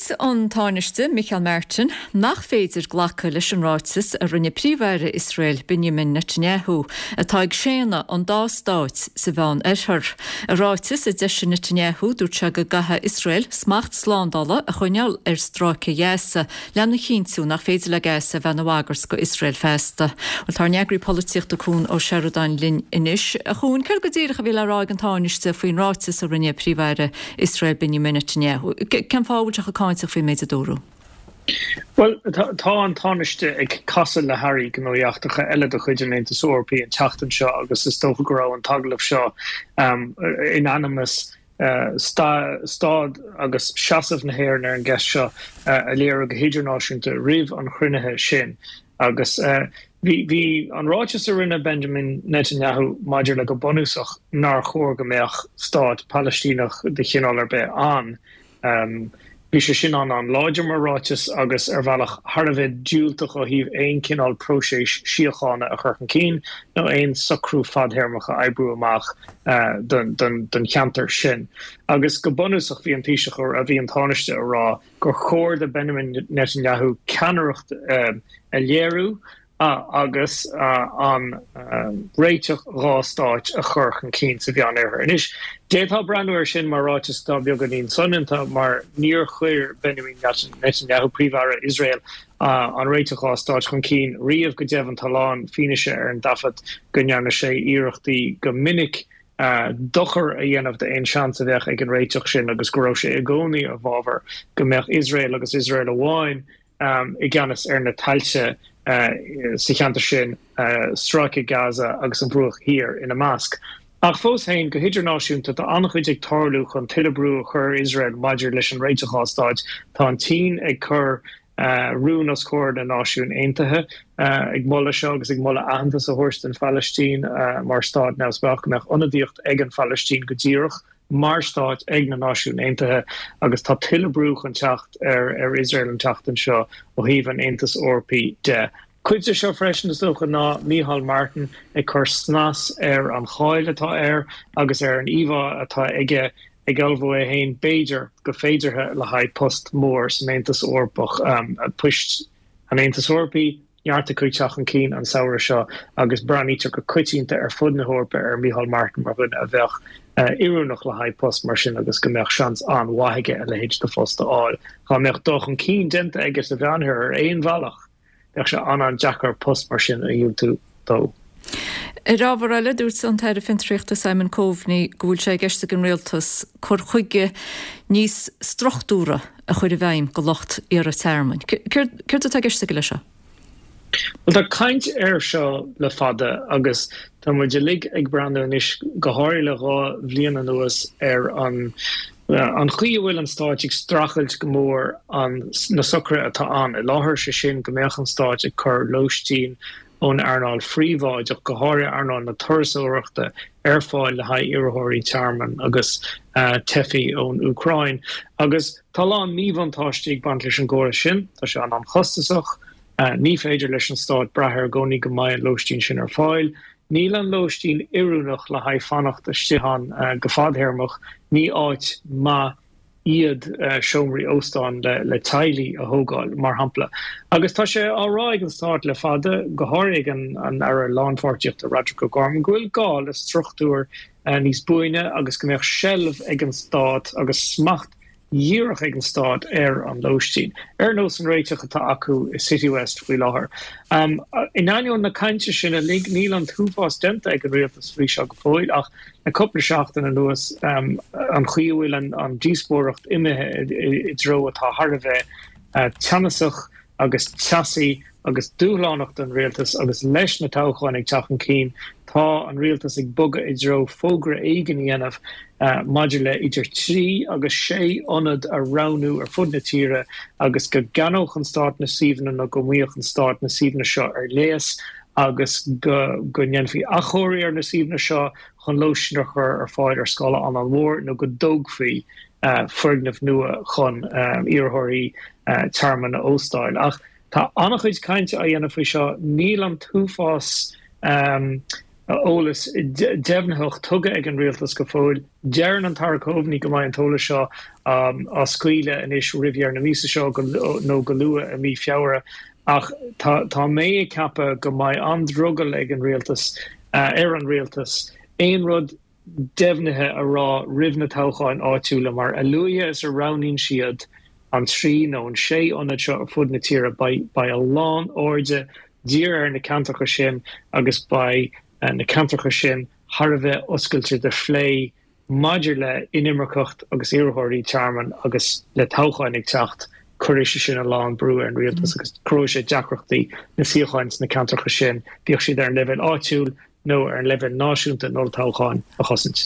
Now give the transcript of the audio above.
Dúirt an Tánaiste Micheál Martin nach féidir glacadh leis an ráiteas a rinne Príomh-Aire Iosrael Benjamin Netanyahu, atá ag séanadh an dá stáit sa Mheán-Oirthear. I ráiteas a d'eisigh Netanyahu, dúirt sé go gcaithfidh Iosrael smacht slándála a choinneáil ar Stráice Ghaza lena chinntiú nach féidir le Gaza a bheith ina bhagairt go Iosrael feasta. Bhuel, tá ár n-eagraí polaitíochta Cuan Ó Seireadáin linn anois. A Chuain, céard go díreach a bhí le rá ag an Tánaiste faoin ráiteas a rinne Príomh-Aire Iosrael Benjamin Netanyahu? Cén fáth a bhfuil sé chomh cáinteach faoin méid a dúradh? Bhuel, tá an Tánaiste ag casadh le hairí gnóthaí eachtracha eile de chuid an Aontais Eorpaigh an tseachtain seo agus is dócha go raibh an t-agallamh seo in ainm is staid agus seasamh na hÉireann ar an gceist seo a léiriú go hidirnáisiúnta roimh an chruinnithe sin. Agus bhí an ráiteas a rinne Benjamin Netanyahu maidir le go bunúsach nár chóir go mbeadh stát Palaistíneach de chineál ar bith ann, Bhí sé sin an-an-láidir mar ráiteas agus ar bhealach thar a bheith diúltach ó thaobh aon chineál próiseas síochána a chur chun cinn nó aon socrú fadthéarmach a oibriú amach don cheantar sin. Agus go bunúsach bhí an Taoiseach, bhí an Tánaiste a rá gur chóir do Benjamin Netanyahu ceannaireacht a léiriú agus an réiteach dha stáit a chur chun cinn sa Mheánoirthear. Anois, d'fhéadfá breathnú air sin mar ráiteas atá beagáinín soineanta mar níor chuir Benjamin Netanyahu, Príomh-Aire Iosrael, an réiteach dha stáit chun cinn riamh. Go deimhin, tá a lán fianaise ar an dtaifead go ndearna sé iarrachtaí go minic dochar a dhéanamh d'aon seans a bheadh ag an réiteach sin agus go raibh sé i gcónaí i bhfabhar go mbeadh Iosrael agus Iosrael amháin i gceannas ar na tailte sa cheantar sin, Stráice Gaza agus an Bhruach Thiar ina measc. Ach fós féin, go hidirnáisiúnta, tá an-chuid ag tarlú chun tuilleadh brú a chur ar Iosrael maidir leis an réiteach dha stáit. Tá an tSín ag cur rún os comhair na Náisiún Aontaithe ag moladh seo agus ag moladh aitheantas a thabhairt don Phalaistín mar stát neamhspleách, go mbeadh ionadaíocht ag an Phalaistín go díreach mar stát ag na Náisiúin Aontaithe agus tá tuilleadh brú chun teacht ar ar Iosrael an tseachtain seo ó thaobh an Aontais Eorpaigh de. Cuid de seo freisin, is dócha, ná Micheál Martin ag cur snas ar an cháil atá air agus ar an íomhá atá aige ag ullmhú é féin, b'fhéidir, go féideartha le haghaidh post mór san Aontas Eorpach, poist an Aontais Eorpaigh. Neart acu ag teacht chun cinn an samhradh seo agus breathnaítear go coitianta ar fud na hEorpa ar Micheál Martin mar dhuine a bheadh oiriúnach le haghaidh post mar sin agus go mbeadh seans an-mhaith aige a leithéid de phost a fháil. Dá mbeadh dul chun cinn déanta aige sa Mheánoirthear ar aon bhealach, bheadh sé an-an-deacair post mar sin a dhiúltú dó. Ar ábhar eile, dúirt an tAire Fiontraíochta Simon Coveney go bhfuil sé i gceist ag an Rialtas cur chuige níos struchtúrtha a chur i bhfeidhm do lucht iarrtha tearmainn. Céard atá i gceist aige leis seo? Bhuel, tá caint air seo le fada agus tá muid uilig ag breathnú anois, go háirithe le dha bhliain anuas, ar an an chaoi a bhfuil an Stáit ag streachailt go mór an na socruithe atá ann i láthair, sé sin go mbeadh an Stáit ag cur lóistín ón earnáil phríobháideach, go háirithe earnáil na turasóireachta, ar fáil le haghaidh iarrthóirí tearmainn agus teifigh ón Úcráin. Agus tá a lán míbhuntáistí ag baint leis an gcóras sin, tá sé an-an-chostasach, ní féidir leis an stát brath air i gcónaí go mbeidh an lóistín sin ar fáil, níl an lóistín oiriúnach le haghaidh fanacht istigh ann go fadthéarmach, ní áit maith iad seomraí óstáin le teaghlaigh a thógáil, mar shampla. Agus tá sé á rá ag an Stát le fada, go háirithe ag an Aire Lánpháirtíochta Roderic O'Gorman, go bhfuil gá le struchtúir níos buaine agus go mbeadh seilbh ag an Stát agus smacht dhíreach ag an Stát ar an lóistín, ar nós an réiteach atá acu i Citywest faoi láthair. In ainneoin na cainte sin uilig, níl an t-uafás déanta ag an Rialtas faoi seo go fóill ach le cúpla seachtain anuas, an chaoi a bhfuil an díospóireacht imithe i dtreo atá thar a bheith teannasach agus teasaí agus dúshlánach don rialtas agus leis na toghcháin ag teacht chun cinn, tá an rialtas ag bogadh i dtreo fógra éigin a dhéanamh maidir le idir trí agus sé ionad a roghnú ar fud na tíre agus go gceannódh an stát na suíomhanna nó go maoineodh an stát na suíomhanna seo ar léas. agus go ndéanfaí athchóiriú ar na suíomhanna seo chun lóistín a chur ar fáil ar scála an-an-mhór nó go dtógfaí foirgnimh nua chun iarrthóirí tearmainn a óstáil. Ach tá an-chuid cainte á dhéanamh faoi seo. Níl an t-uafás. Eolas deimhnitheach tugtha ag an rialtas go fóill. Deireann an tAire Coveney go mbeidh an t-eolas seo á scaoileadh anois roimh dheireadh na míosa seo nó go luath i mí Feabhra ach tá mé ag ceapadh go mbeidh an-drogall ag an rialtas, ar an rialtas, aon rud deimhnithe a rá roimh na toghcháin áitiúla mar a luaithe is a roghnaíonn siad an 3 nó an 6 ionad seo ar fud na tíre beidh a lán airde dírithe ar na ceantracha sin agus beidh na ceantracha sin thar a bheith oscailte do phlé maidir le inimirceacht agus iarrthóirí tearmainn agus le toghcháin ag teacht, cuirfidh sé sin a lán brú ar an rialtas agus cruthóidh sé deacrachtaí na suíocháin sna ceantracha sin, bíodh siad ar an leibhéal áitiúil nó ar an leibhéal náisiúnta in olltoghchán, a chosaint.